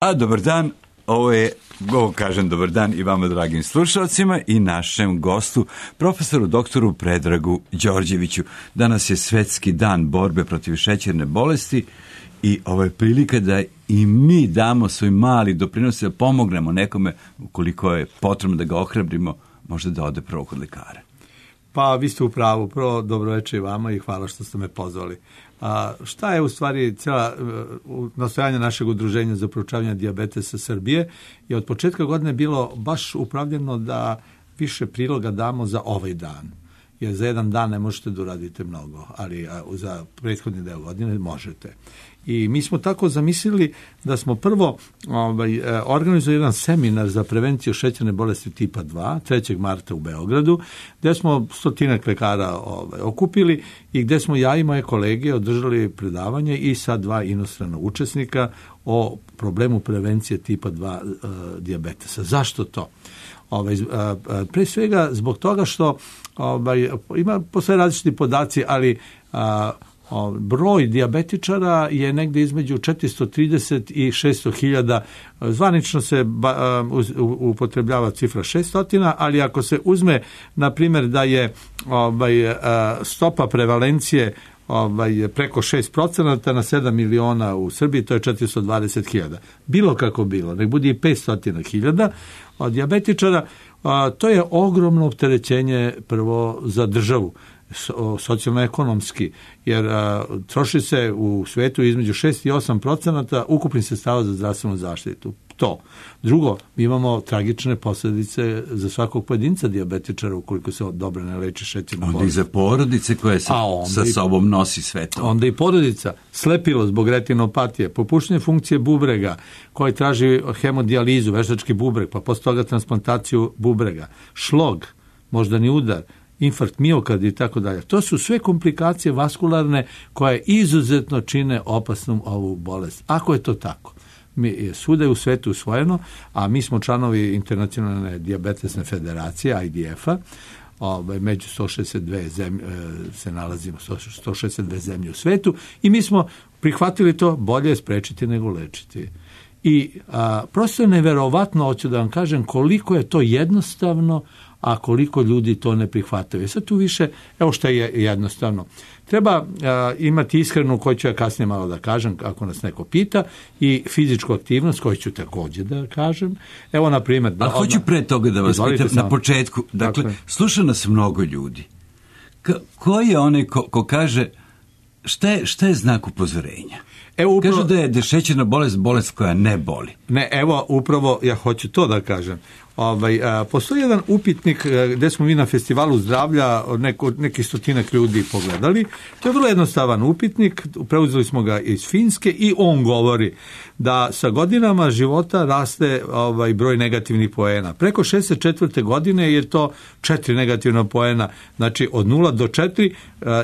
A dobar dan, ovo kažem dobar dan i vama dragim slušalcima i našem gostu, profesoru doktoru Predragu Đorđeviću. Danas je Svetski dan borbe protiv šećerne bolesti i ovo je prilika da i mi damo svoj mali doprinos da pomognemo nekome ukoliko je potrebno da ga ohrabrimo, možda da ode prvo kod lekara. Pa vi ste u pravu, prvo dobroveče i vama i hvala što ste me pozvali. Šta je u stvari cijela nastojanje našeg udruženja za proučavanje dijabetesa Srbije je od početka godine bilo baš upravljeno da više priloga damo za ovaj dan. Jer za jedan dan ne možete da uradite mnogo, ali za prethodni deo godine možete. I mi smo tako zamislili da smo prvo organizovali jedan seminar za prevenciju šećerne bolesti tipa 2, 3. marta u Beogradu, gdje smo 100 lekara okupili i gdje smo ja i moje kolege održali predavanje i sa 2 inostrana učesnika o problemu prevencije tipa 2 dijabetesa. Zašto to? Pre svega zbog toga što postoje različiti podaci, ali broj dijabetičara je negdje između 430 i 600 hiljada. Zvanično se upotrebljava cifra 600, ali ako se uzme, na primjer, da je stopa prevalencije preko 6% na 7 miliona u Srbiji, to je 420 hiljada. Bilo kako bilo, nek bude i 500 hiljada dijabetičara, to je ogromno opterećenje prvo za državu, socijalno-ekonomski, jer troši se u svetu između 6 i 8% ukupnih sredstava za zdravstvenu zaštitu. To. Drugo, mi imamo tragične posljedice za svakog pojedinca dijabetičara ukoliko se dobro ne leči šećerna bolest. Onda i za porodice koje sa sobom nosi sve to. Onda i porodica, slepilo zbog retinopatije, popuštanje funkcije bubrega koji traži hemodijalizu, veštački bubreg, pa posle toga transplantaciju bubrega, šlog, moždani udar, infarkt miokarda i tako dalje. To su sve komplikacije vaskularne koje izuzetno čine opasnom ovu bolest. Ako je to tako, svuda je u svetu usvojeno, a mi smo članovi Internacionalne dijabetesne federacije, IDF-a, među 162 zemlje se nalazimo, 162 zemlje u svetu, i mi smo prihvatili to, bolje je sprečiti nego lečiti. I prosto je neverovatno, hoću da vam kažem, koliko je to jednostavno, a koliko ljudi to ne prihvataju. Sad tu više, evo što je jednostavno. Treba imati ishranu, koju ću ja kasnije malo da kažem, ako nas neko pita, i fizičku aktivnost, koju ću također da kažem. Evo, na primjer... Ali hoću pre toga da vas pitam na početku. Dakle, sluša nas mnogo ljudi. Ko je onaj ko kaže, šta je znak upozorenja? Kažu da je šećerna bolest koja ne boli. Ne, evo, upravo ja hoću to da kažem. Postoji jedan upitnik gdje smo mi na festivalu zdravlja nekih 100 ljudi pogledali. To je vrlo jednostavan upitnik, preuzeli smo ga iz Finske i on govori da sa godinama života raste broj negativnih poena. Preko 64. godine je to 4 negativna poena, znači od 0 do 4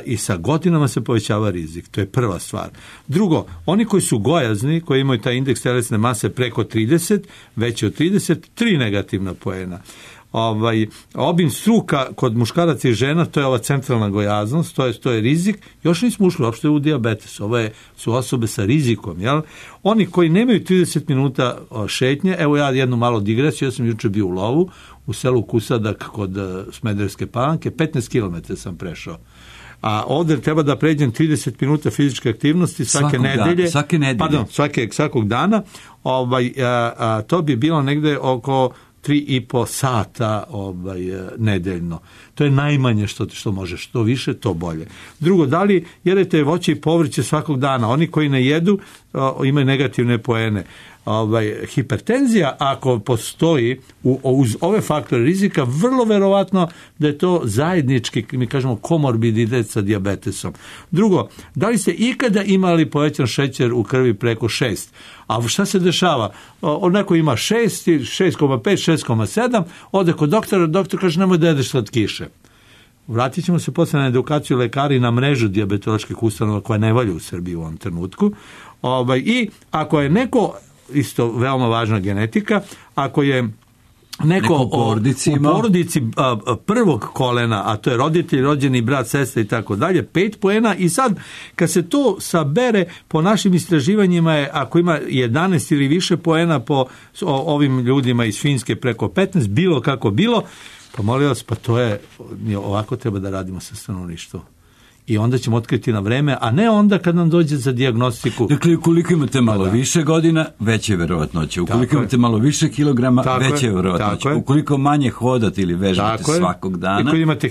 i sa godinama se povećava rizik. To je prva stvar. Drugo, oni koji su gojazni, koji imaju taj indeks telesne mase preko 30, veći od 30, 3 negativna poena. Obim struka kod muškaraca i žena, to je ova centralna gojaznost, to je rizik. Još nismo ušli uopšte u dijabetes. Ovo su osobe sa rizikom. Jel? Oni koji nemaju 30 minuta šetnje, evo ja jednu malo digresiju, ja sam juče bio u lovu u selu Kusadak kod Smederevske Palanke, 15 km sam prešao. A ovdje treba da pređem 30 minuta fizičke aktivnosti svakog dana. To bi bilo negde oko 3,5 sata nedeljno. To je najmanje što može, što više, to bolje. Drugo, da li jedete voće i povrće svakog dana? Oni koji ne jedu imaju negativne poene. Hipertenzija, ako postoji uz ove faktore rizika, vrlo verovatno da je to zajednički, mi kažemo, komorbiditet sa dijabetesom. Drugo, da li ste ikada imali povećan šećer u krvi preko 6? A šta se dešava? Neko ima 6, 6,5, 6,7, ode kod doktora, doktor kaže nemoj da jedeš slatkiše. Vratit ćemo se posle na edukaciju lekara i na mrežu dijabetoloških ustanova koja ne valja u Srbiji u ovom trenutku. I ako je neko, isto veoma važna genetika, ako je neko u porodici u porodici prvog kolena, a to je roditelj, rođeni brat, sestra i tako dalje, 5 poena. I sad, kad se to sabere, po našim istraživanjima je, ako ima 11 ili više poena po ovim ljudima iz Finske preko 15, bilo kako bilo, pa molim vas, pa to je, ovako treba da radimo sa stanovništvom. I onda ćemo otkriti na vreme, a ne onda kad nam dođe za dijagnostiku. Dakle, ukoliko imate malo više godina, veće je verovatnoće. Ukoliko imate malo više kilograma, veće je verovatnoće. Ukoliko manje hodate ili vežbate svakog dana. I ako imate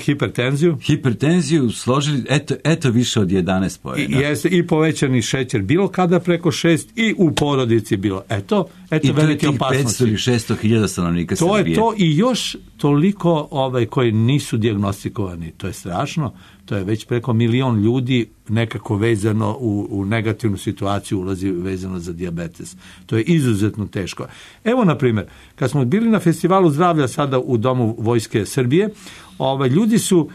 hipertenziju složili, eto više od 11 poena. I povećani šećer bilo kada preko 6 i u porodici bilo. Eto velike opasnosti. I to je tih 500 ili 600 hiljada stanovnika Srbije. To je to i još toliko koji nisu dijagnostikovani. To je strašno. To je već preko 1 milion ljudi nekako vezano u negativnu situaciju ulazi vezano za dijabetes. To je izuzetno teško. Evo, na primjer, kad smo bili na festivalu zdravlja sada u Domu Vojske Srbije, ljudi su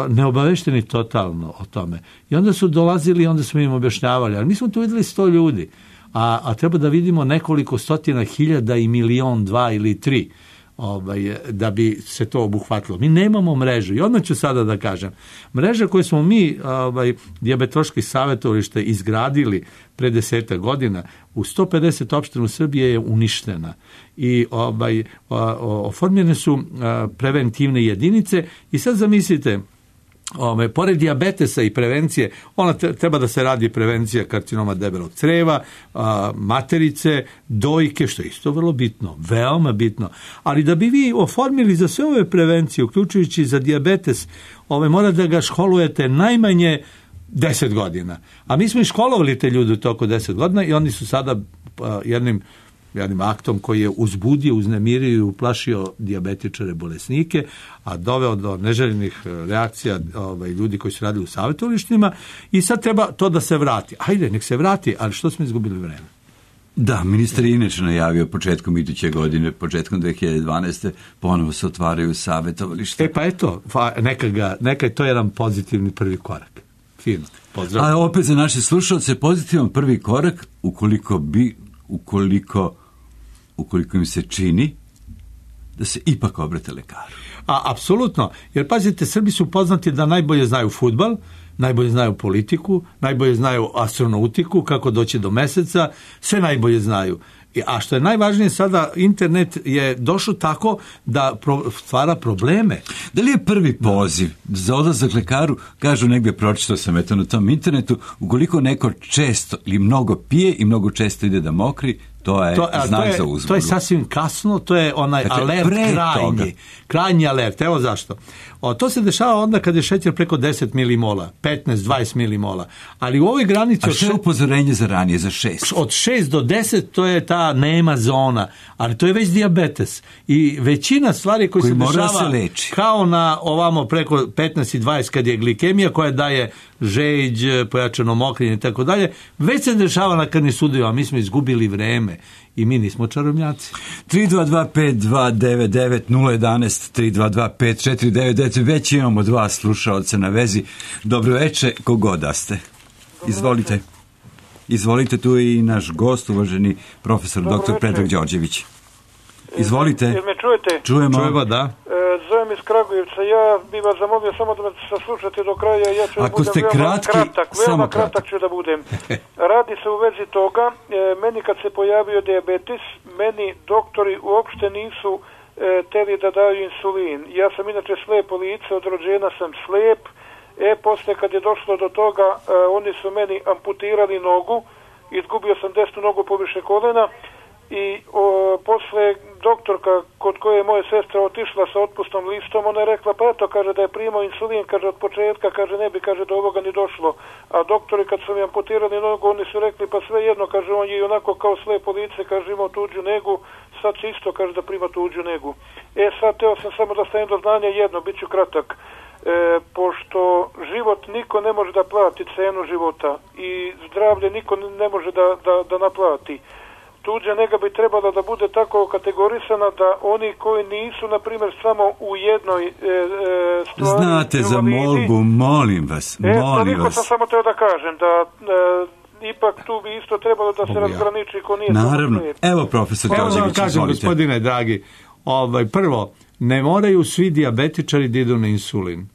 neobavešteni totalno o tome. I onda su dolazili i onda smo im objašnjavali. Ali mi smo tu vidjeli 100 ljudi, a treba da vidimo nekoliko stotina hiljada i 1, milion, 2 ili 3. Da bi se to obuhvatilo. Mi nemamo mrežu. I odmah ću sada da kažem. Mreža koju smo mi, dijabetološki savjetovalište, izgradili pre 10 godina, u 150 opština u Srbije je uništena. I oformljene su preventivne jedinice. I sad zamislite, pored dijabetesa i prevencije, ona treba da se radi prevencija karcinoma debelog creva, materice, dojke, što je isto vrlo bitno, veoma bitno. Ali da bi vi oformili za sve ove prevencije, uključujući za dijabetes, mora da ga školujete najmanje 10 godina. A mi smo i školovali te ljude u toku 10 godina i oni su sada jednim aktom koji je uzbudio, uznemirio i uplašio dijabetičare, bolesnike, a doveo do neželjenih reakcija ljudi koji su radili u savjetovalištima i sad treba to da se vrati. Hajde, nek se vrati, ali što smo izgubili vreme? Da, ministar je inače najavio početkom iduće godine, početkom 2012. ponovo se otvaraju savjetovališta. Pa eto, neka je to jedan pozitivni prvi korak. Fino, pozdrav. A opet za naše slušalce pozitivan prvi korak ukoliko im se čini da se ipak obrate lekaru. Apsolutno, jer pazite, Srbi su poznati da najbolje znaju fudbal, najbolje znaju politiku, najbolje znaju astronautiku, kako doći do meseca, sve najbolje znaju. A što je najvažnije sada, internet je došao tako da stvara probleme. Da li je prvi poziv za odlazak lekaru, kažu negdje, pročitao sam eto na tom internetu, ukoliko neko često ili mnogo pije i mnogo često ide da mokri, to je znak za uzbunu. To je sasvim kasno, to je onaj alert krajnji alert. Evo zašto. To se dešava onda kad je šećer preko 10 milimola, 15-20 milimola. Ali u ovoj granici... A što je upozorenje za ranije, za 6? Od 6 do 10 to je ta nema zona, ali to je već dijabetes. I većina stvari koji se dešava kao na ovamo preko 15 i 20 kad je glikemija koja daje žeđ, pojačano mokrenje i tako dalje, već se dešava na krvnim sudovima, mi smo izgubili vreme i mi nismo čarobnjaci. 322-529-011, 322-5499, već imamo 2 slušaoca na vezi. Dobro veče, kogod da ste. Izvolite, tu je i naš gost, uvaženi profesor dr. Predrag Đorđević. Izvolite. Jel me čujete? Čujemo, da. Zovem iz Kragujevca, ja bih vas zamolio samo da me saslušate do kraja, ja ću Ako ste veoma kratak ću da budem. Radi se u vezi toga, meni kad se pojavio dijabetes, meni doktori uopšte nisu teli da daju insulin. Ja sam inače slepo lice, od rođena sam slep, posle kad je došlo do toga, oni su meni amputirali nogu, izgubio sam desnu nogu poviše kolena, i posle doktorka kod koje je moja sestra otišla sa otpustom listom, ona je rekla, pa eto, kaže da je primao insulin, kaže od početka, kaže ne bi, kaže do ovoga ni došlo. A doktori kad su mi amputirali nogu, oni su rekli, pa sve jedno, kaže on je onako kao slepo lice, kaže imao tuđu negu, sad će isto, kaže da prima tuđu negu. Sad teo sam samo da stavim do znanja jedno, bit ću kratak. Pošto život niko ne može da plati cenu života i zdravlje niko ne može da naplati. Tuđa nega bi trebala da bude tako kategorisana da oni koji nisu, na primjer, samo u jednoj stvari... Znate za molbu, molim vas. Toliko sam samo teo da kažem, da ipak tu bi isto trebalo da se razgraniči ko nije... Naravno. Evo, profesor Đorđević, kažem, gospodine dragi, Prvo, ne moraju svi dijabetičari da idu na insulin.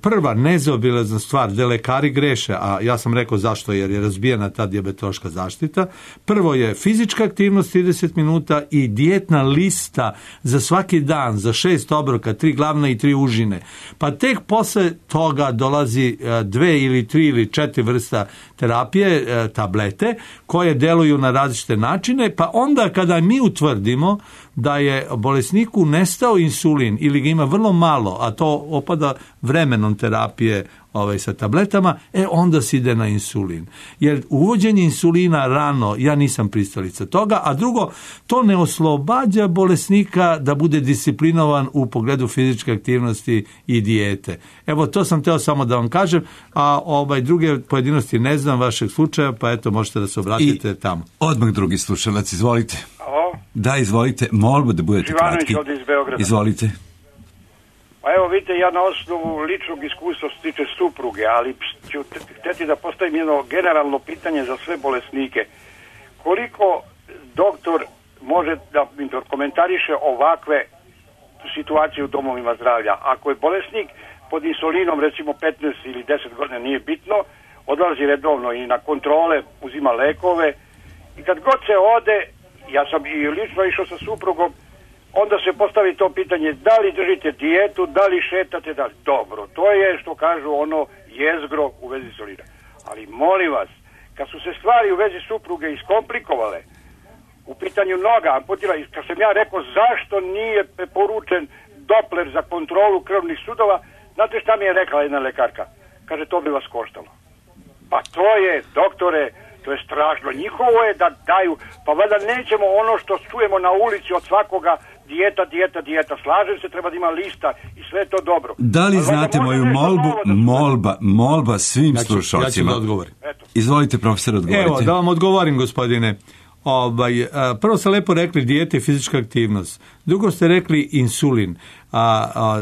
Prva nezaobilazna stvar gde lekari greše, a ja sam rekao zašto, jer je razbijena ta dijabetološka zaštita. Prvo je fizička aktivnost 30 minuta i dijetna lista za svaki dan, za 6 obroka, 3 glavne i 3 užine. Pa tek posle toga dolazi 2 ili 3 ili 4 vrsta terapije, tablete, koje deluju na različite načine, pa onda kada mi utvrdimo da je bolesniku nestao insulin ili ga ima vrlo malo, a to opada vremenom terapije sa tabletama, onda se ide na insulin. Jer uvođenje insulina rano, ja nisam pristalica toga, a drugo, to ne oslobađa bolesnika da bude disciplinovan u pogledu fizičke aktivnosti i dijete. Evo, to sam teo samo da vam kažem, a druge pojedinosti ne znam vašeg slučaja, pa eto, možete da se obratite tamo. Odmah drugi slušalac, izvolite. Alo? Da, izvolite, molimo da budete kratki. Živanović ovdje iz Beograda. Izvolite. Pa evo vidite, ja na osnovu ličnog iskustva se tiče supruge, ali ću htjeti da postavim jedno generalno pitanje za sve bolesnike. Koliko doktor može da komentariše ovakve situacije u domovima zdravlja? Ako je bolesnik pod insulinom, recimo 15 ili 10 godina, nije bitno, odlazi redovno i na kontrole, uzima lekove i kad god se ode, ja sam i lično išao sa suprugom, onda se postavi to pitanje da li držite dijetu, da li šetate, da li... Dobro, to je što kažu ono jezgro u vezi insulina. Ali molim vas, kad su se stvari u vezi supruge iskomplikovale, u pitanju noga, amputila, kad sam ja rekao zašto nije preporučen Doppler za kontrolu krvnih sudova, znate šta mi je rekla jedna lekarka? Kaže, to bi vas koštalo. Pa to je, doktore, to je strašno. Njihovo je da daju, pa valjda nećemo ono što čujemo na ulici od svakoga, dijeta. Slažem se, treba da ima lista i sve to dobro. Da li znate moju molbu? Molba svim slušalcima. Ja ću da odgovorim. Izvolite, profesor, odgovorite. Evo, da vam odgovorim, gospodine. Prvo ste lepo rekli dijete i fizička aktivnost. Drugo ste rekli insulin.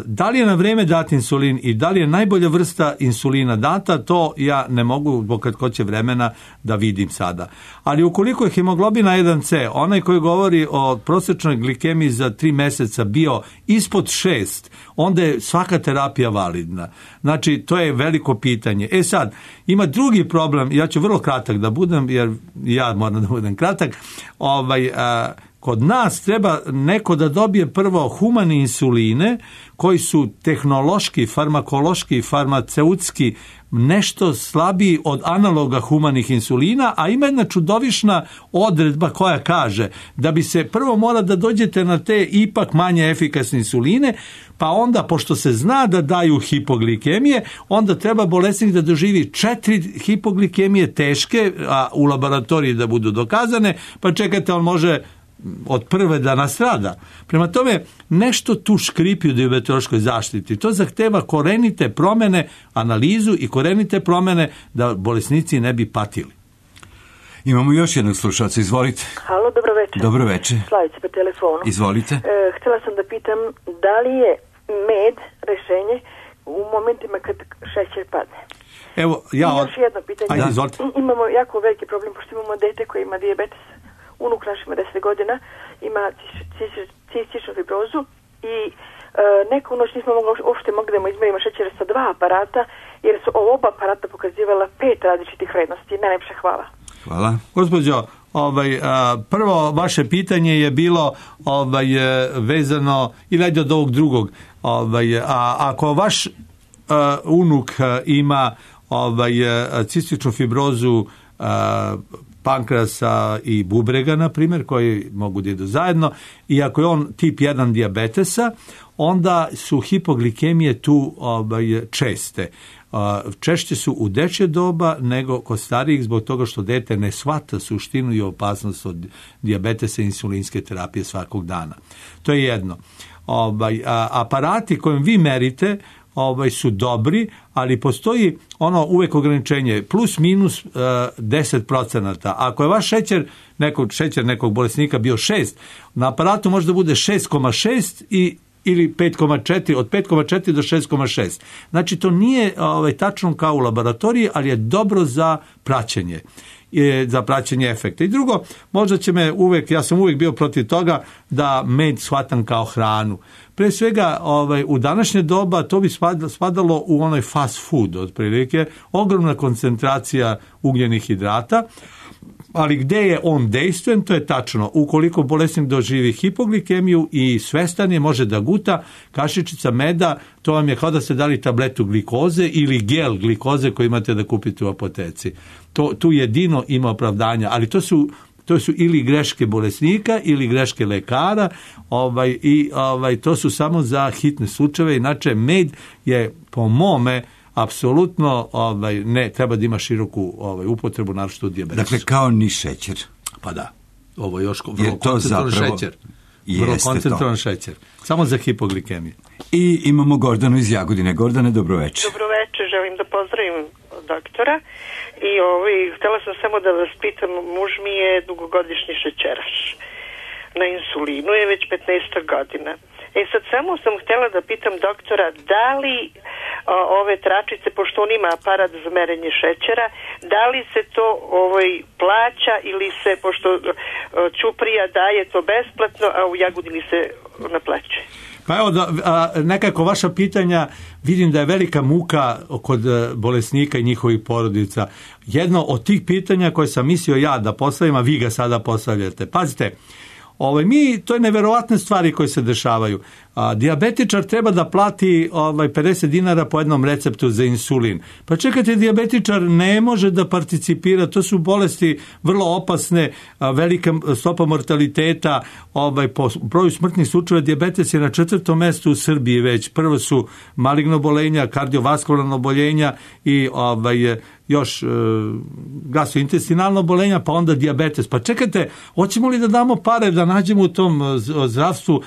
Da li je na vreme dat insulin i da li je najbolja vrsta insulina data, to ja ne mogu zbog kratkoće vremena da vidim sada. Ali ukoliko je hemoglobina 1C, onaj koji govori o prosječnoj glikemiji za 3 meseca bio ispod 6, onda je svaka terapija validna. Znači, to je veliko pitanje. Sad, ima drugi problem, ja ću vrlo kratak da budem, jer ja moram da budem kratak, kod nas treba neko da dobije prvo humani insuline koji su tehnološki, farmakološki, farmaceutski nešto slabiji od analoga humanih insulina, a ima jedna čudovišna odredba koja kaže da bi se prvo mora da dođete na te ipak manje efikasne insuline, pa onda, pošto se zna da daju hipoglikemije, onda treba bolesnik da doživi 4 hipoglikemije teške, a u laboratoriji da budu dokazane, pa čekajte, on može od prve da nastrada. Prema tome, nešto tu škripi u dijabetološkoj zaštiti. To zahteva korenite promjene, analizu i korenite promjene da bolesnici ne bi patili. Imamo još jednog slušalca, izvolite. Halo, dobro večer. Dobro večer. Slavica po telefonu. Izvolite. Htjela sam da pitam da li je med rešenje u momentima kad šećer padne. Evo, još jedno pitanje. Ajde, izvolite. Imamo jako veliki problem, pošto imamo dete koje ima dijabetes. Unuk naš ima 10 godina, ima cističnu fibrozu i neku noć nismo uopšte mogli da mu izmerimo šećer sa 2 aparata, jer su oba aparata pokazivala 5 različitih vrednosti. Najlepše hvala. Hvala. Gospođo, prvo vaše pitanje je bilo vezano, ili ajde od ovog drugog, ako vaš unuk ima cističnu fibrozu pankrasa i bubrega, na primjer, koji mogu da idu zajedno, i ako je on tip 1 dijabetesa, onda su hipoglikemije tu česte. Češće su u dečje doba nego kod starijih, zbog toga što dete ne shvata suštinu i opasnost od dijabetesa i insulinske terapije svakog dana. To je jedno. Aparati kojim vi merite su dobri, ali postoji uvek ograničenje plus minus 10%. Ako je vaš šećer nekog bolesnika bio 6, na aparatu može da bude 6,6 ili 5,4, od 5,4 do 6,6. Znači, to nije tačno kao u laboratoriji, ali je dobro za praćenje. za praćenje efekta. I drugo, možda će me ja sam uvijek bio protiv toga da med shvatam kao hranu. Pre svega, u današnje doba to bi spadalo u onaj fast food, otprilike, ogromna koncentracija ugljenih hidrata, ali gde je on dejstven, to je tačno. Ukoliko bolesnik doživi hipoglikemiju i svestan je, može da guta, kašičica meda, to vam je kao da ste dali tabletu glikoze ili gel glikoze koji imate da kupite u apoteci. Tu jedino ima opravdanja, ali to su ili greške bolesnika ili greške lekara, to su samo za hitne slučajeve. Inače, med je po mome apsolutno ne treba da ima široku upotrebu, naročito u dijabetesu. Dakle, kao ni šećer. Pa da, ovo je još vrlo koncentrovan šećer. Vrlo koncentrovan šećer. Samo za hipoglikemiju. I imamo Gordanu iz Jagodine. Gordane, dobroveče. Dobroveče, želim da pozdravim doktora. I htjela sam samo da vas pitam, muž mi je dugogodišnji šećeraš. Na insulinu je već 15 godina. Sad samo sam htjela da pitam doktora, da li ove tračice, pošto on ima aparat za merenje šećera, da li se to plaća ili se, pošto Ćuprija daje to besplatno, a u Jagodini se naplaćuje? Pa evo, nekako vaša pitanja, vidim da je velika muka kod bolesnika i njihovih porodica. Jedno od tih pitanja koje sam mislio ja da postavim, a vi ga sada postavljate. Pazite, to je neverovatne stvari koje se dešavaju. Dijabetičar treba da plati 50 dinara po jednom receptu za insulin. Pa čekajte, dijabetičar ne može da participira, to su bolesti vrlo opasne, velika stopa mortaliteta, po broju smrtnih slučajeva dijabetes je na 4. mestu u Srbiji već. Prvo su maligno oboljenja, kardiovaskularno oboljenja i još gastrointestinalno oboljenja, pa onda dijabetes. Pa čekajte, hoćemo li da damo pare da nađemo u tom zdravstvu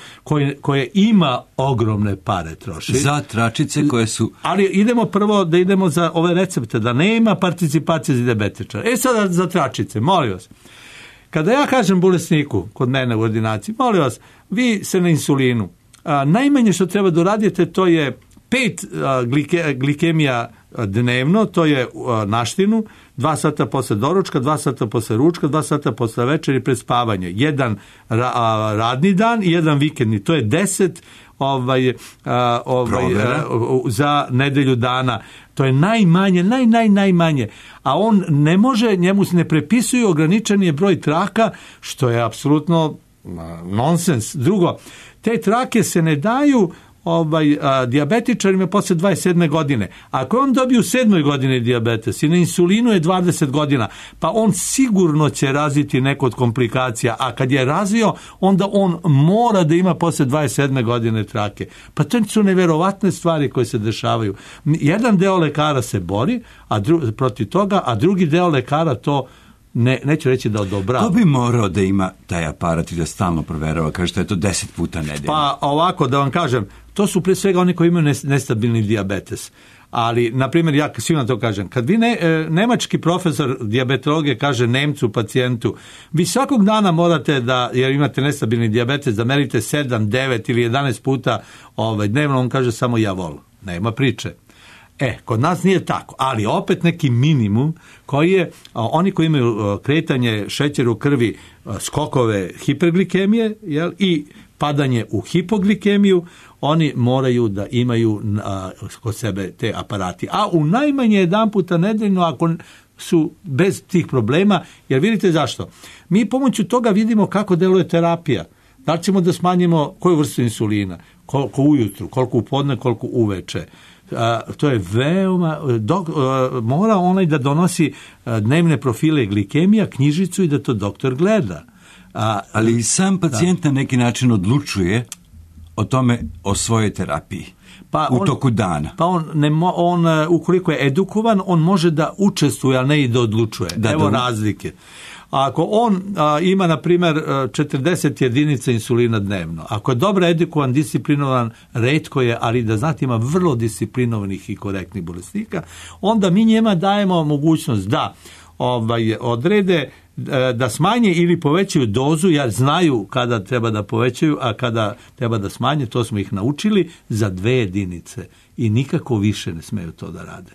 koje ima ogromne pare troši? Za tračice koje su... Ali idemo prvo da idemo za ove recepte, da nema participacije za dijabetičara. Sada za tračice, molim vas. Kada ja kažem bolesniku kod mene u ordinaciji, molim vas, vi ste na insulinu. Najmanje što treba da uradite, to je 5 glikemija dnevno, to je naštinu, 2 sata posle doručka, 2 sata posle ručka, 2 sata posle večeri pred spavanje. Jedan radni dan i jedan vikendni. To je 10 za nedelju dana. To je najmanje. A on ne može, njemu se ne prepisuju, ograničen je broj traka, što je apsolutno nonsens. Drugo, te trake se ne daju dijabetičarima posle 27. godine. Ako on dobije u 7. godini dijabetes i na insulinu je 20 godina, pa on sigurno će razviti neko od komplikacija, a kad je razvio, onda on mora da ima posle 27. godine trake. Pa to su neverovatne stvari koje se dešavaju. Jedan deo lekara se bori protiv toga, a drugi deo lekara to neću reći da odobrava. Ko bi morao da ima taj aparat i da stalno proverava, kaže što je to 10 puta nedeljno? Pa ovako, da vam kažem, to su pre svega oni koji imaju nestabilni dijabetes. Ali, na primjer, ja svima to kažem, kad vi nemački profesor dijabetologije kaže Nemcu, pacijentu, vi svakog dana morate da, jer imate nestabilni dijabetes, da merite 7, 9 ili 11 puta dnevno, on kaže samo javol. Nema priče. Kod nas nije tako, ali opet neki minimum koji je, oni koji imaju kretanje šećera u krvi, skokove hiperglikemije i padanje u hipoglikemiju, oni moraju da imaju kod sebe te aparati. A u najmanje jedan puta nedeljno ako su bez tih problema, jer vidite zašto? Mi pomoću toga vidimo kako deluje terapija. Da li ćemo da smanjimo koju vrstu insulina, koliko ujutru, koliko u podne, koliko uveče. To je veoma, mora onaj da donosi dnevne profile glikemija, knjižicu i da to doktor gleda. Ali i sam pacijent na neki način odlučuje o svojoj terapiji u toku dana. Pa on ukoliko je edukovan, on može da učestvuje, a ne i da odlučuje. Evo razlike. Ako on ima, na primjer, 40 jedinica insulina dnevno, ako je dobro edukovan, disciplinovan, retko je, ali da znate ima vrlo disciplinovanih i korektnih bolesnika, onda mi njima dajemo mogućnost da odrede da smanje ili povećaju dozu, jer znaju kada treba da povećaju, a kada treba da smanje, to smo ih naučili, za 2 jedinice i nikako više ne smeju to da rade.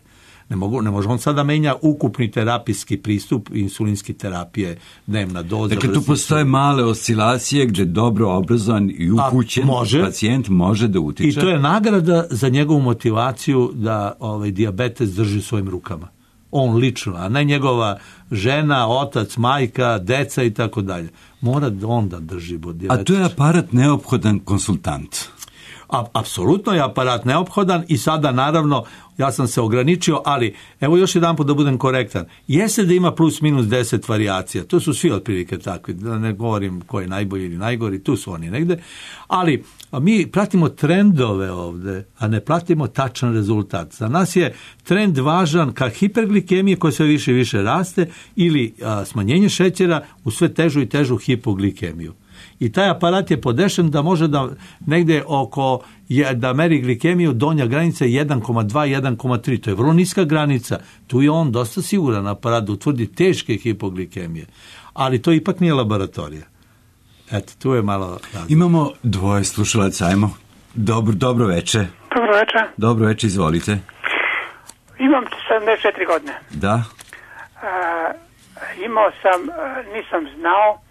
Ne može on sada menja ukupni terapijski pristup insulinske terapije, dnevna doza. Dakle, tu postoje male oscilacije gdje dobro obrazovan i upućen pacijent može da utiče. I to je nagrada za njegovu motivaciju da dijabetes drži u svojim rukama. On lično, a ne njegova žena, otac, majka, deca i tako dalje. Mora on da drži dijabetes. A tu je aparat neophodan konsultant. Apsolutno je aparat neophodan i sada naravno ja sam se ograničio, ali evo još jedan put da budem korektan. Jeste da ima plus minus 10 varijacija, to su svi otprilike takvi, da ne govorim ko je najbolji ili najgori, tu su oni negde, ali mi pratimo trendove ovde, a ne pratimo tačan rezultat. Za nas je trend važan ka hiperglikemije koja sve više i više raste ili smanjenje šećera u sve težu i težu hipoglikemiju. I taj aparat je podešen da može da negde da meri glikemiju, donja granica 1,2, 1,3. To je vrlo niska granica. Tu je on dosta siguran aparat da utvrdi teške hipoglikemije. Ali to ipak nije laboratorija. Eto, tu je malo... Imamo dvoje slušalaca, ajmo. Dobro veče. Dobro veče. Dobro veče, izvolite. Imam 74 godine. Da. Imao sam, nisam znao,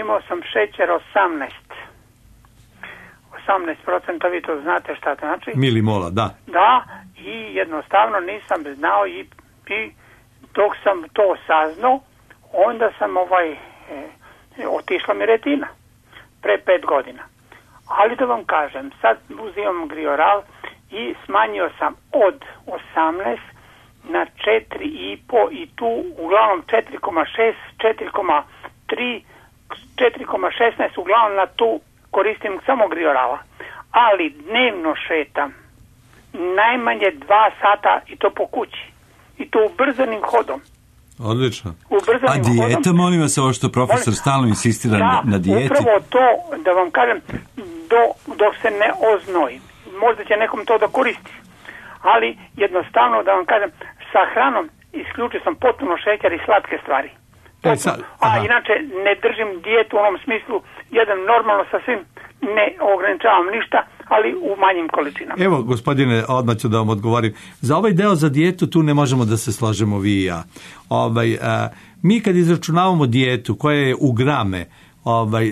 imao sam šećer 18%, vi to znate šta to znači? Milimola, da. Da, i jednostavno nisam znao i dok sam to saznao, onda sam otišla mi retina pre 5 godina. Ali da vam kažem, sad uzimam Grioral i smanjio sam od 18 na 4,5 i tu uglavnom 4,6, 4,3, 4,16 uglavnom na tu koristim samo Griorala, ali dnevno šetam najmanje 2 sata i to po kući i to ubrzanim hodom. Odlično. A dijeta, molim vas, ovo što profesor stalno insistira na dijeti. Upravo to, da vam kažem, dok se ne oznojim. Možda će nekom to da koristi, ali jednostavno da vam kažem, sa hranom isključio sam potpuno šećer i slatke stvari. Inače ne držim dijetu u onom smislu, jedan normalno sasvim, ne ograničavam ništa, ali u manjim količinama. Evo, gospodine, odmah ću da vam odgovorim. Za ovaj deo za dijetu tu ne možemo da se složimo vi i ja. Mi kad izračunavamo dijetu koja je u grame,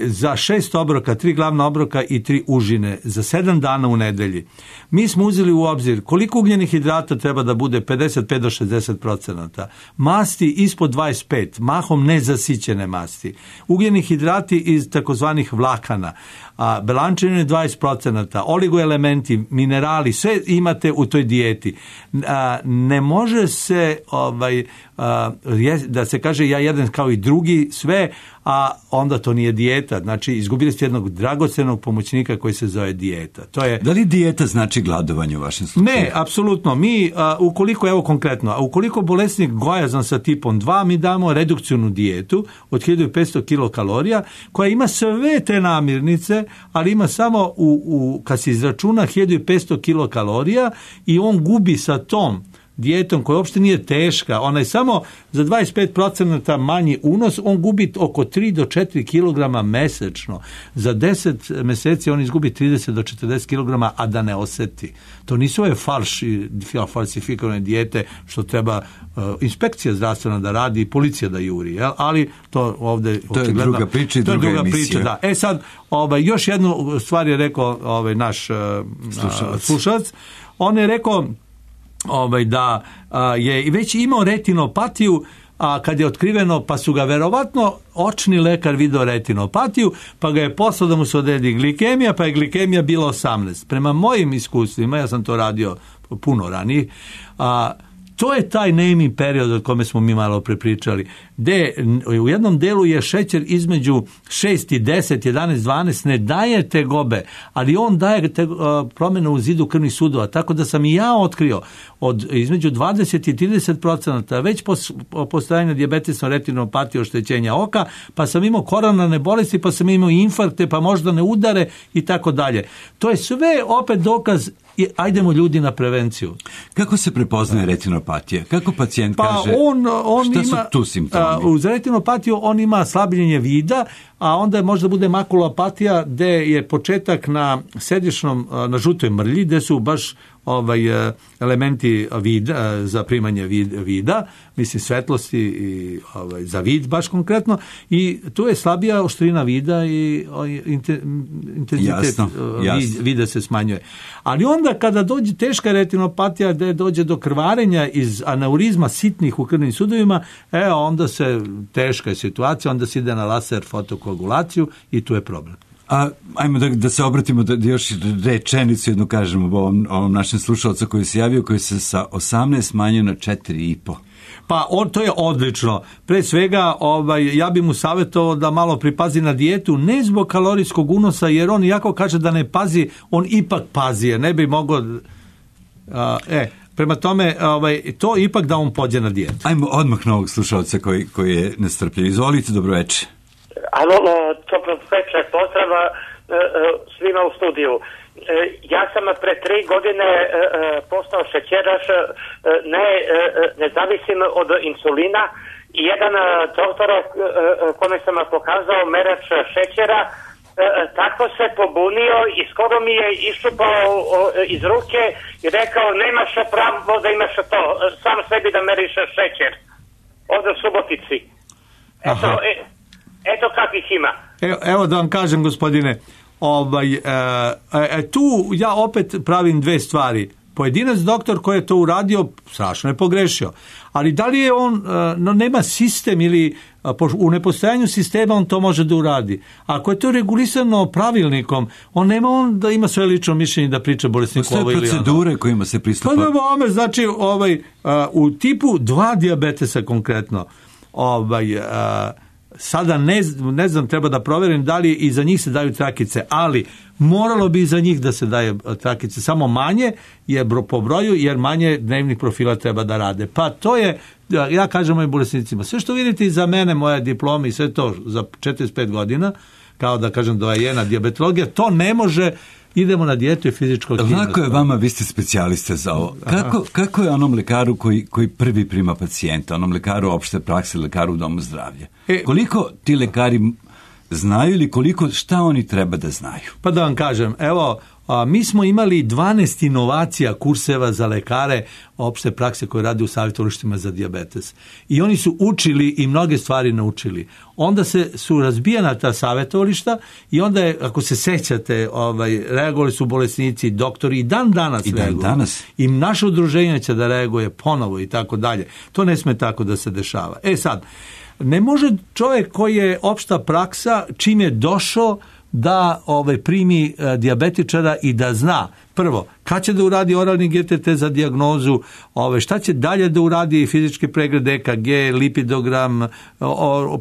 za 6 obroka, 3 glavna obroka i 3 užine za 7 dana u nedelji. Mi smo uzeli u obzir koliko ugljenih hidrata treba da bude 55 do 60%. Masti ispod 25, mahom nezasićene masti. Ugljeni hidrati iz takozvanih vlakana, belančevine 20%, oligoelementi, minerali, sve imate u toj dijeti. Ne može se da se kaže ja jedem kao i drugi sve, a onda to nije dijeta. Znači, izgubili ste jednog dragocenog pomoćnika koji se zove dijeta. Da li dijeta znači gladovanje u vašem slučaju? Ne, apsolutno. Mi, ukoliko, evo konkretno, ukoliko bolesnik gojazan sa tipom 2, mi damo redukcionu dijetu od 1500 kilokalorija, koja ima sve te namirnice, ali ima samo, kad se izračuna 1500 kilokalorija i on gubi sa tom dijetom koja uopšte nije teška, ona je samo za 25% manji unos, on gubi oko 3 do 4 kg mesečno. Za 10 meseci on izgubi 30 do 40 kg, a da ne oseti. To nisu ove falsifikovane dijete što treba inspekcija zdravstvena da radi i policija da juri, jel? Ali to ovdje to je druga priča i druga emisija. Da. Sad, još jednu stvar je rekao naš slušalac. On je rekao da je već imao retinopatiju, a kad je otkriveno, pa su ga verovatno očni lekar video retinopatiju, pa ga je poslao da mu se odredi glikemija, pa je glikemija bila 18. Prema mojim iskustvima, ja sam to radio puno ranije, to je taj naming period od kome smo mi malo prepričali, gde u jednom delu je šećer između 6 i 10, 11, 12, ne daje tegobe, ali on daje promjene u zidu krvnih sudova, tako da sam i ja otkrio između 20 i 30% već postojanja dijabetesne retinopatije, oštećenja oka, pa sam imao koronarne bolesti, pa sam imao infarkte, pa možda ne udare i tako dalje. To je sve opet dokaz, ajdemo ljudi na prevenciju. Kako se prepoznaje retinopatija? Kako pacijent kaže šta su tu simptomi? Uz retinopatiju on ima slabljenje vida, a onda možda bude makulopatija gde je početak na središnjom, na žutoj mrlji, gde su baš elementi vida, za primanje vida, mislim svetlosti i za vid baš konkretno, i tu je slabija oštrina vida i intenzitet vida se smanjuje. Ali onda kada dođe teška retinopatija, da dođe do krvarenja iz aneurizma sitnih u krvnim sudovima, onda se teška je situacija, onda se ide na laser fotokoagulaciju i tu je problem. Ajmo da se obratimo, da još rečenicu jednu kažemo ovom našem slušalcu koji se javio, koji se sa 18 smanjio na 4,5. Pa to je odlično. Pre svega ja bih mu savjetovao da malo pripazi na dijetu, ne zbog kalorijskog unosa, jer on iako kaže da ne pazi, on ipak pazi, jer ne bi mogao... Prema tome, to ipak da on pođe na dijetu. Ajmo odmah na ovog slušalca koji je nestrpljiv. Izvolite, dobroveče. Alo, dobro večer, pozdrav svima u studiju. Ja sam pre 3 godine postao šećeraš, ne zavisim od insulina, i jedan doktor kome sam pokazao merač šećera, tako se pobunio i skoro mi je iščupao iz ruke i rekao, nemaš pravo da imaš to, sam sebi da meriš šećer. Ovdje u Subotici. Eto kakvih ima. Evo da vam kažem, gospodine, tu ja opet pravim dve stvari. Pojedinac doktor koji je to uradio strašno je pogrešio, ali da li je on nema sistem ili u nepostojanju sistema on to može da uradi. Ako je to regulisano pravilnikom, on da ima svoje lično mišljenje da priča bolesniku ovo ili ono. Postoje procedure kojima se pristupa. Znači u tipu 2 dijabetesa konkretno, sada ne znam, treba da proverim da li i za njih se daju trakice, ali moralo bi i za njih da se daje trakice, samo manje je po broju, jer manje dnevnih profila treba da rade. Pa to je, ja kažem mojim bolesnicima, sve što vidite iza mene, moja diploma i sve to za 45 godina, kao da kažem doajena dijabetologija, to ne može. Idemo na dijetu i fizičku aktivnost. Lako je vama, vi ste specijaliste za ovo. Kako je onom lekaru koji prvi prima pacijenta, onom lekaru opšte prakse, lekaru u domu zdravlja? Koliko ti lekari znaju ili šta oni treba da znaju? Pa da vam kažem, evo, mi smo imali 12 inovacija kurseva za lekare opšte prakse koje rade u savjetovalištima za dijabetes. I oni su učili i mnoge stvari naučili. Onda su razbijena ta savjetovališta i onda je, ako se sećate, reagovali su bolesnici, doktori i dan danas reaguju. I naše udruženje će da reaguje ponovo i tako dalje. To ne sme tako da se dešava. Sad, ne može čovjek koji je opšta praksa, čim je došao, da primi dijabetičara i da zna prvo kad će da uradi oralni GTT za dijagnozu, šta će dalje da uradi fizički pregled EKG, lipidogram,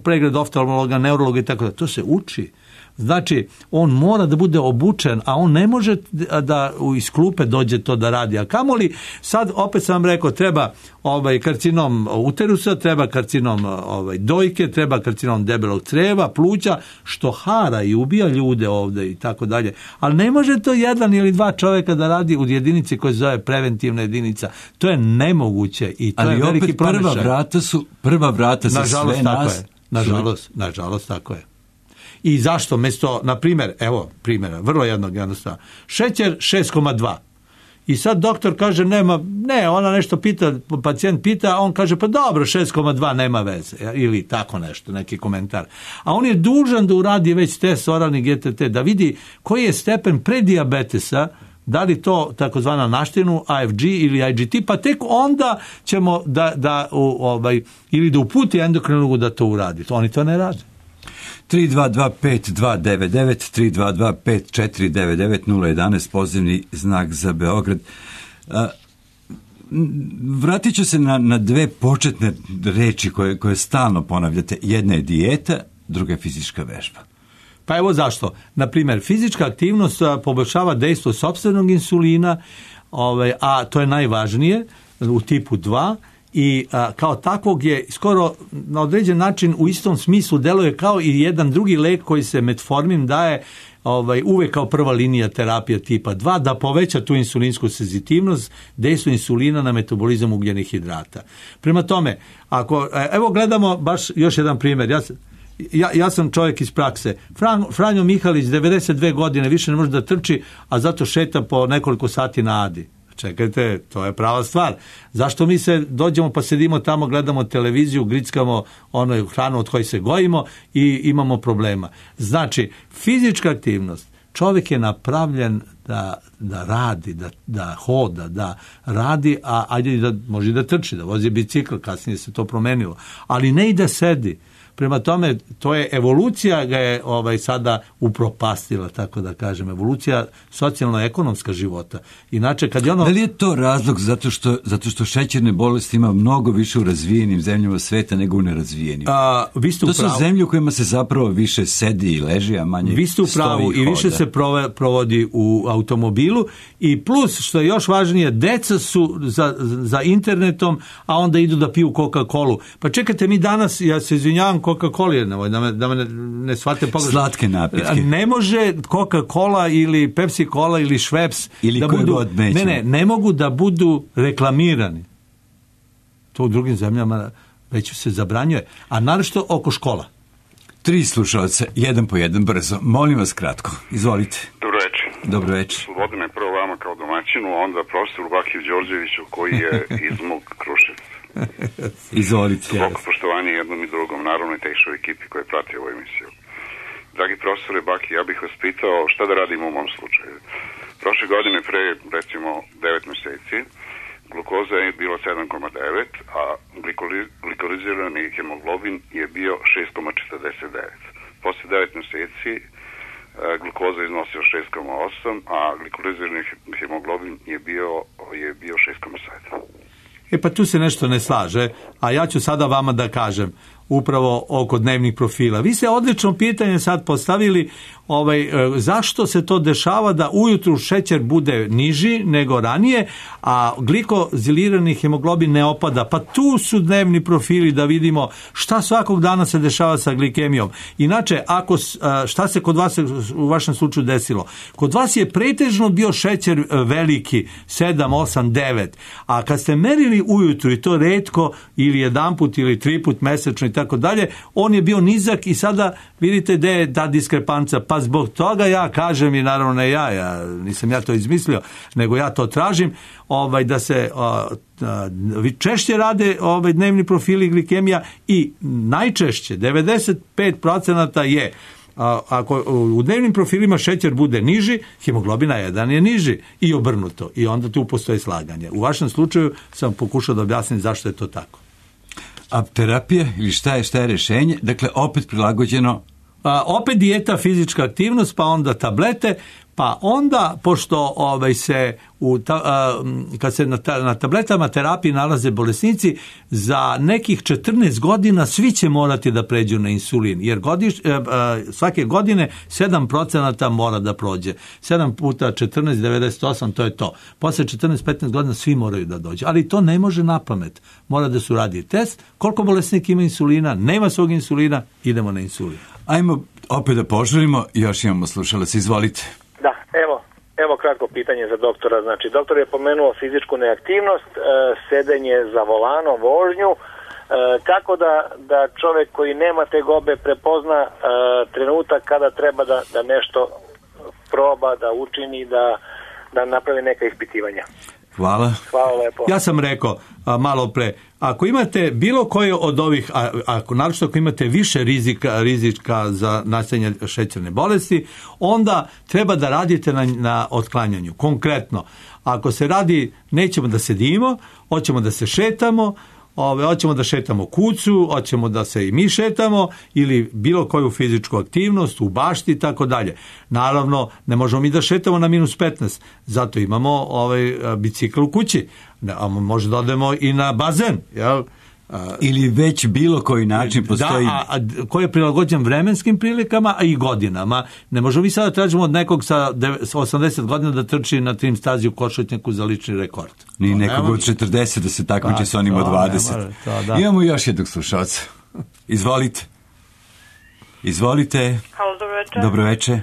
pregled oftalmologa, neurologa i tako da. To se uči. Znači, on mora da bude obučen, a on ne može da iz klupe dođe to da radi. A kamoli, sad opet sam vam rekao, treba karcinom uterusa, treba karcinom dojke, treba karcinom debelog creva, pluća, što hara i ubija ljude ovde i tako dalje. Ali ne može to 1 ili 2 čovjeka da radi u jedinici koja se zove preventivna jedinica. To je nemoguće i to je veliki promašaj. Ali opet prva vrata za sve nas. Nažalost, tako je. I zašto? Mesto, na primjer, evo primjera, vrlo jednostavno, šećer 6,2. I sad doktor kaže, ona nešto pita, pacijent pita, a on kaže, pa dobro, 6,2 nema veze. Ili tako nešto, neki komentar. A on je dužan da uradi već test oralni GTT, da vidi koji je stepen predijabetesa, da li to takozvana naštinu, AFG ili IGT, pa tek onda ćemo ili da uputi endokrinologu da to uradi. Oni to ne rade. 3225299, 3225499, 011, pozivni znak za Beograd. Vratit ću se na 2 početne reči koje stalno ponavljate. Jedna je dijeta, druga je fizička vežba. Pa evo zašto. Naprimjer, fizička aktivnost poboljšava dejstvo sopstvenog insulina, a to je najvažnije u tipu 2, i kao takvog je skoro na određen način u istom smislu deluje kao i jedan drugi lek koji se metformin daje uvek kao prva linija terapija tipa 2, da poveća tu insulinsku senzitivnost, dejstvo insulina na metabolizam ugljenih hidrata. Prema tome, evo gledamo baš još jedan primjer. Ja sam čovjek iz prakse. Franjo Mihalić, 92 godine, više ne može da trči, a zato šeta po nekoliko sati na Adi. Čekajte, to je prava stvar. Zašto mi se dođemo pa sedimo tamo, gledamo televiziju, grickamo hranu od koje se gojimo i imamo problema. Znači, fizička aktivnost, čovjek je napravljen da radi, da hoda, da radi, a ajde da može da trči, da vozi bicikl, kasnije se to promenilo, ali ne i da sedi. Prema tome, to je evolucija ga je sada upropastila, tako da kažem, evolucija socijalno-ekonomska života. Inače, kad je Da li je to razlog zato što šećerne bolesti ima mnogo više u razvijenim zemljama sveta nego u nerazvijenim? To su zemlje u kojima se zapravo više sedi i leži, a manje stoji i hoda. Vi ste u pravu i više se provodi u automobilu i plus, što je još važnije, deca su za internetom, a onda idu da piju Coca-Colu. Pa čekajte, mi danas, ja se izvinjavam, Coca-Cola, da me ne shvate pogrešno. Slatke napitke. Ne može Coca-Cola ili Pepsi-Cola ili Schweppes ili da budu, ne mogu da budu reklamirani. To u drugim zemljama već se zabranjuje. A naročito oko škola. 3 slušalca, jedan po jedan, brzo. Molim vas kratko. Izvolite. Dobro večer. Dobro večer. Slobodno prvo vama kao domaćinu, a onda profesoru Bakiju Đorđeviću koji je iz mog Kruševca. Izvolite. Svako poštovanje jednom i drugom, naravno i tehničkoj ekipi koja prati ovu emisiju. Dragi profesore Baki, ja bih vas pitao šta da radimo u mom slučaju. Prošle godine, pre recimo 9 mjeseci, glukoza je bilo 7,9, a glikolizirani hemoglobin je bio 6,49. Posle 9 mjeseci glukoza je iznosio 6,8, a glikolizirani hemoglobin je bio 6,7. Pa tu se nešto ne slaže, a ja ću sada vama da kažem upravo oko dnevnih profila. Vi ste odlično pitanje sad postavili, zašto se to dešava da ujutru šećer bude niži nego ranije, a glikozilirani hemoglobin ne opada. Pa tu su dnevni profili da vidimo šta svakog dana se dešava sa glikemijom. Inače, šta se kod vas u vašem slučaju desilo? Kod vas je pretežno bio šećer veliki, 7, 8, 9, a kad ste merili ujutru i to retko ili jedanput ili 3 put mesečno i tako dalje, on je bio nizak i sada vidite da je ta diskrepanca. Pa zbog toga ja kažem, i naravno ne ja nisam ja to izmislio, nego ja to tražim, da se češće rade dnevni profili glikemija i najčešće 95% je ako u dnevnim profilima šećer bude niži, hemoglobina 1 je niži i obrnuto. I onda tu postoji slaganje. U vašem slučaju sam pokušao da objasnim zašto je to tako. A terapija ili šta je rješenje? Dakle, opet prilagođeno? Opet dijeta, fizička aktivnost, pa onda tablete, pa onda, pošto kad se na tabletama terapiji nalaze bolesnici, za nekih 14 godina svi će morati da pređu na insulin, jer svake godine 7% mora da prođe. 7 puta 14, 98, to je to. Posle 14-15 godina svi moraju da dođu, ali to ne može na pamet. Mora da se uradi test, koliko bolesnik ima insulina, nema svog insulina, idemo na insulin. Ajmo opet da požurimo, još imamo slušalac, izvolite. Da, evo kratko pitanje za doktora. Znači, doktor je pomenuo fizičku neaktivnost, sedenje za volanom, vožnju. Kako da čovjek koji nema tegobe prepozna trenutak kada treba da nešto proba, da učini, da napravi neka ispitivanja? Hvala lepo. Ja sam rekao malo pre, ako imate bilo koje od ovih, naročito ako imate više rizika za nastajanje šećerne bolesti, onda treba da radite na otklanjanju. Konkretno, ako se radi, nećemo da sedimo, hoćemo da se šetamo, hoćemo da šetamo kucu, hoćemo da se i mi šetamo ili bilo koju fizičku aktivnost u bašti i tako dalje. Naravno, ne možemo mi da šetamo na -15, zato imamo bicikl u kući. Može da odemo i na bazen, jel? Ili već bilo koji način postoji. Da, koji je prilagođen vremenskim prilikama, a i godinama. Ne možemo mi sada tražimo od nekog sa 80 godina da trči na trim stazi u košarku za lični rekord. Ni nekog od 40 da se takmiči sa onim od 20. Imamo još jednog slušalca. Izvolite. Halo, dobro večer. Dobro večer.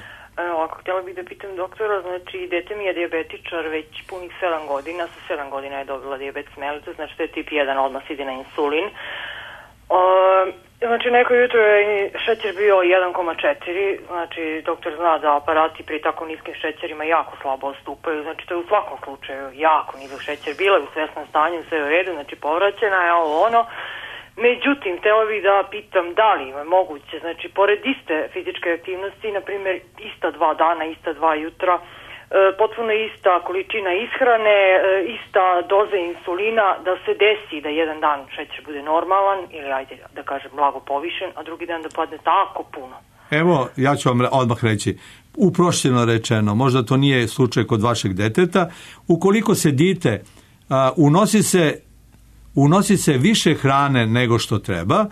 Ovako, htjela bih da pitam doktora, znači dete mi je dijabetičar već punih 7 godina, sa 7 godina je dobila dijabetes mellitus, znači to je tip 1, odmah ide na insulin. Znači, neko jutro je šećer bio 1,4, znači doktor zna da aparati pri tako niskim šećerima jako slabo ostupaju, znači to je u svakom slučaju jako nizak šećer, bila je u svesnom stanju, sve u redu, znači povraćena je ovo ono. Međutim, htjela bih da pitam da li je moguće, znači pored iste fizičke aktivnosti, na primjer ista 2 dana, ista 2 jutra, potpuno ista količina ishrane, ista doza insulina, da se desi da jedan dan šećer bude normalan ili ajde da kažem blago povišen, a drugi dan da padne tako puno. Evo, ja ću vam odmah reći, uprošćeno rečeno, možda to nije slučaj kod vašeg deteta, ukoliko se dite unosi se više hrane nego što treba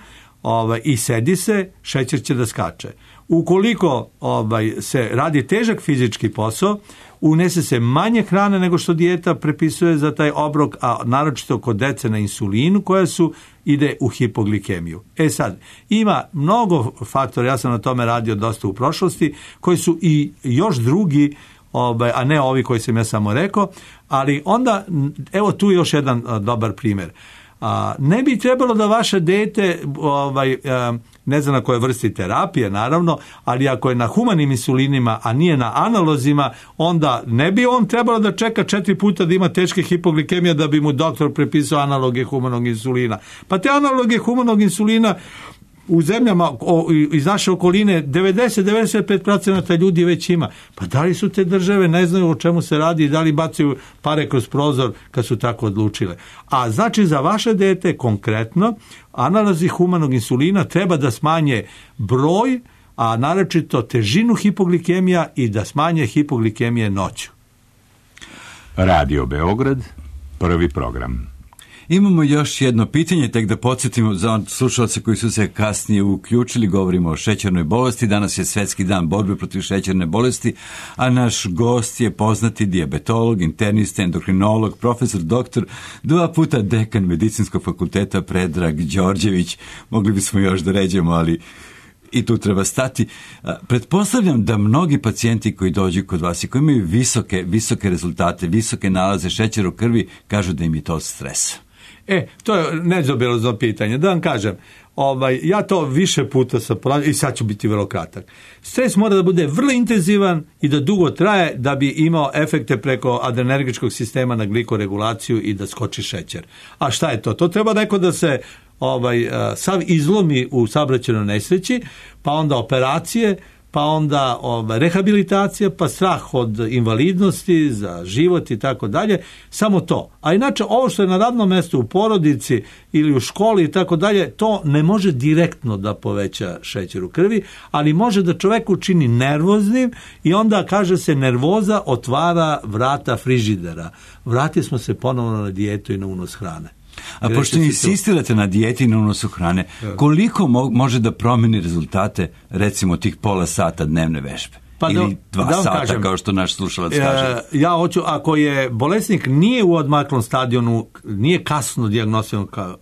i sedi se, šećer će da skače. Ukoliko se radi težak fizički posao, unese se manje hrane nego što dijeta prepisuje za taj obrok, a naročito kod dece na insulinu koja ide u hipoglikemiju. Sad, ima mnogo faktora, ja sam na tome radio dosta u prošlosti, koji su i još drugi, a ne ovi koji sam ja samo rekao, ali onda, evo tu još jedan dobar primjer. Ne bi trebalo da vaše dete, ne znam na kojoj vrsti terapije, naravno, ali ako je na humanim insulinima, a nije na analozima, onda ne bi on trebalo da čeka 4 puta da ima teške hipoglikemije da bi mu doktor prepisao analoge humanog insulina. Pa te analoge humanog insulina u zemljama iz naše okoline 90-95% ljudi već ima. Pa da li su te države, ne znaju o čemu se radi i da li bacaju pare kroz prozor kad su tako odlučile. A znači za vaše dete konkretno analozi humanog insulina treba da smanje broj, a naročito težinu hipoglikemija i da smanje hipoglikemije noću. Radio Beograd, prvi program. Imamo još jedno pitanje, tek da podsjetimo za slušalce koji su se kasnije uključili, govorimo o šećernoj bolesti. Danas je Svetski dan borbe protiv šećerne bolesti, a naš gost je poznati dijabetolog, internista, endokrinolog, profesor, doktor, 2 puta dekan Medicinskog fakulteta Predrag Đorđević. Mogli bismo još da ređemo, ali i tu treba stati. Pretpostavljam da mnogi pacijenti koji dođu kod vas i koji imaju visoke rezultate, visoke nalaze šećera u krvi, kažu da im je to od stresa. To je nezaobilazno pitanje. Da vam kažem, ja to više puta sam ponavljao i sad ću biti vrlo kratak. Stres mora da bude vrlo intenzivan i da dugo traje da bi imao efekte preko adrenergičkog sistema na glikoregulaciju i da skoči šećer. A šta je to? To treba neko da se sav izlomi u saobraćajnoj nesreći, pa onda operacije, pa onda rehabilitacija, pa strah od invalidnosti za život i tako dalje, samo to. A inače, ovo što je na radnom mjestu, u porodici ili u školi i tako dalje, to ne može direktno da poveća šećer u krvi, ali može da čovek učini nervoznim i onda kaže se nervoza otvara vrata frižidera. Vratili smo se ponovno na dijetu i na unos hrane. A pošto insistirate na dijeti i na unosu hrane, koliko može da promeni rezultate, recimo, tih pola sata dnevne vežbe? Ili 2 sata, kažem, kao što naš slušalac kaže. Ja hoću, ako je bolesnik nije u odmaklom stadionu, nije kasno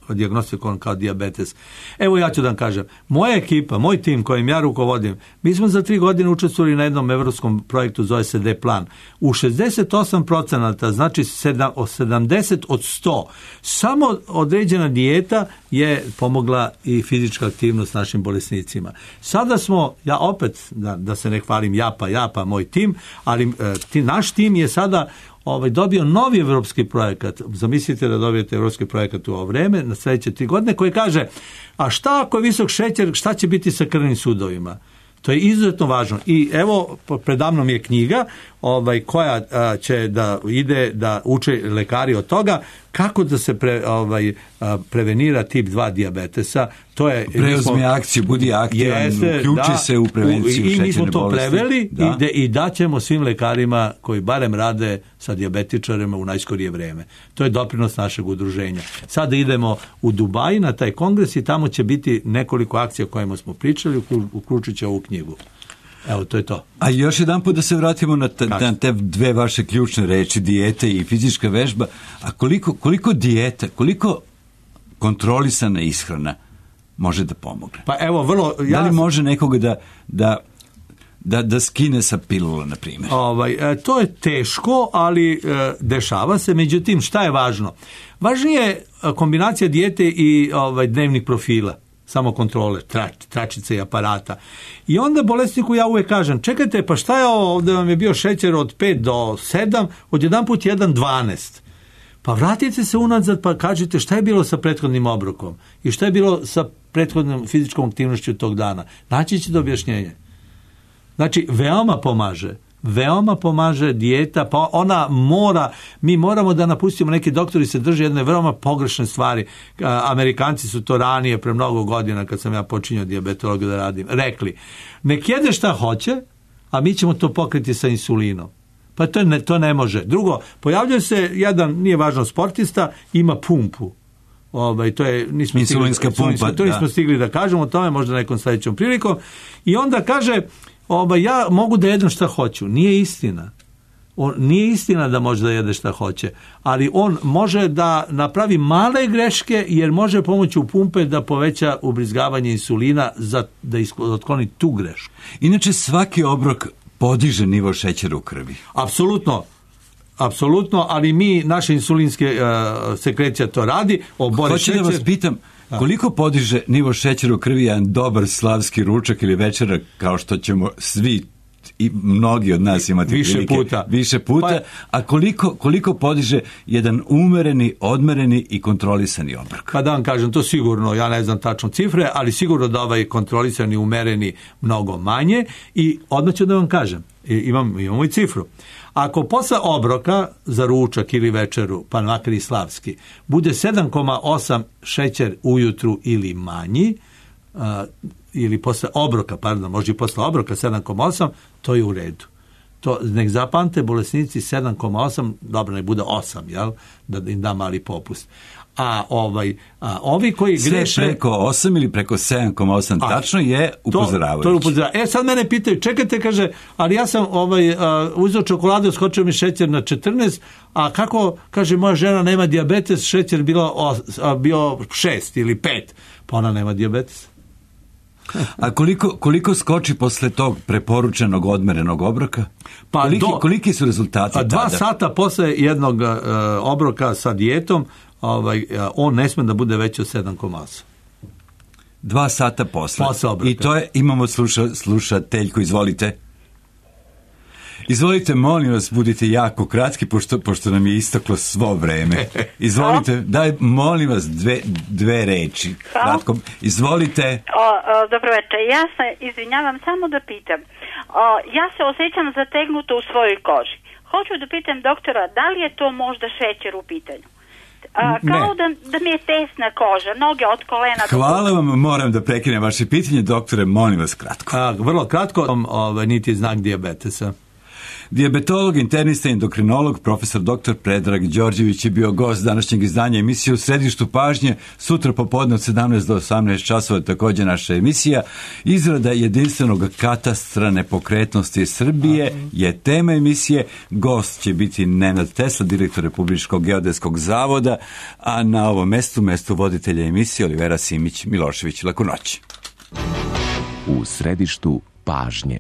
dijagnostikovan kao dijabetes. Evo ja ću da vam kažem, moja ekipa, moj tim kojim ja rukovodim, mi smo za 3 godine učestvovali na jednom evropskom projektu, zove se D-plan. U 68%, znači 70 od 100, samo određena dijeta je pomogla i fizička aktivnost našim bolesnicima. Sada smo, ja opet, da se ne hvalim, ja pa moj tim, ali naš tim je sada dobio novi evropski projekat. Zamislite da dobijete evropski projekat u ovo vreme, na sljedeće 3 godine, koji kaže, a šta ako je visok šećer, šta će biti sa krvnim sudovima? To je izuzetno važno. I evo, predamnom je knjiga koja će da ide da uče lekari od toga kako da se prevenira tip 2 dijabetesa. To je, preuzmi akciju, budi aktivan, uključi se u prevenciju šećerne bolesti. I mi smo to preveli i daćemo svim lekarima koji barem rade sa dijabetičarima u najskorije vreme. To je doprinos našeg udruženja. Sada idemo u Dubai na taj kongres i tamo će biti nekoliko akcija o kojima smo pričali, uključujući ovu knjigu. Evo, to je to. A još jedan put da se vratimo na te 2 vaše ključne reči, dijete i fizička vežba. A koliko dijete, koliko kontrolisana ishrana može da pomogne? Pa evo, vrlo... Da li može nekoga da skine sa pilula, na primjer? To je teško, ali dešava se. Međutim, šta je važno? Važnije je kombinacija dijete i dnevnih profila. samo kontrole, tračice i aparata. I onda bolesniku ja uvek kažem, čekajte, pa šta je ovdje vam je bio šećer od 5 do 7, odjedanput 1,12. Pa vratite se unazad pa kažite šta je bilo sa prethodnim obrokom i šta je bilo sa prethodnom fizičkom aktivnošću tog dana. Naći ćete objašnjenje. Znači, veoma pomaže dijeta, pa ona mi moramo da napustimo, neki doktori se drže jedne veoma pogrešne stvari. Amerikanci su to ranije, pre mnogo godina, kad sam ja počinjao dijabetologiju da radim, rekli, nek jede šta hoće, a mi ćemo to pokriti sa insulinom. Pa to ne može. Drugo, pojavljuje se jedan, nije važno, sportista, ima pumpu. To je insulinska pumpa. To nismo stigli da kažemo o tome, možda nekom sledećom prilikom. I onda kaže, ja mogu da jedem šta hoću. Nije istina. Nije istina da može da jede šta hoće, ali on može da napravi male greške jer može pomoću pumpe da poveća ubrizgavanje insulina da otkloni tu grešku. Inače, svaki obrok podiže nivo šećera u krvi. Apsolutno, ali naše insulinske sekrecija to radi. Hoću da vas pitam, koliko podiže nivo šećera u krvi jedan dobar slavski ručak ili večera, kao što ćemo svi i mnogi od nas imati više puta, a koliko podiže jedan umereni, odmereni i kontrolisani obrok? Pa da vam kažem, to sigurno, ja ne znam tačno cifre, ali sigurno da ovaj kontrolisani, umereni mnogo manje i odmah ću da vam kažem, imamo i cifru. Ako posle obroka za ručak ili večeru, pa makar i slavski, bude 7,8 šećer ujutru ili manji, ili posle obroka, može i posle obroka 7,8, to je u redu. To nek zapamte bolesnici 7,8, dobro, ne bude 8, jel? Da im da mali popust. A ovi koji greše... Sve preko 8 ili preko 7,8 tačno je upozoravajući. Sad mene pitaju, čekajte, kaže, ali ja sam uzeo čokoladu, skočio mi šećer na 14, a kako, kaže, moja žena nema dijabetes, šećer bio 6 ili 5, pa ona nema dijabetes. A koliko skoči posle tog preporučenog odmerenog obroka? Koliki su rezultati tada? 2 sata posle jednog obroka sa dijetom, on ne sme da bude veći od 7,8. 2 sata posle I to je, imamo slušateljku, izvolite. Izvolite, molim vas, budite jako kratki, pošto nam je istaklo svo vreme. Izvolite, daj, molim vas, dve reči. Kratko. Izvolite. Dobro večer, ja se izvinjavam, samo da pitam. Ja se osjećam zategnuto u svojoj koži. Hoću da pitam doktora, da li je to možda šećer u pitanju? Kao da mi je tesna koža, noge od kolena. Hvala vam, moram da prekinem vaše pitanje, doktore, molim vas kratko. Vrlo kratko, niti znak dijabetesa. Dijabetolog, internista i endokrinolog, profesor dr. Predrag Đorđević je bio gost današnjeg izdanja emisije U središtu pažnje. Sutra popodne od 17 do 18 časova također naša emisija. Izrada jedinstvenog katastra nepokretnosti Srbije je tema emisije. Gost će biti Nenad Tesla, direktor Republičkog geodetskog zavoda, a na ovom mestu voditelja emisije Olivera Simić Milošević. Laku noć. U središtu pažnje.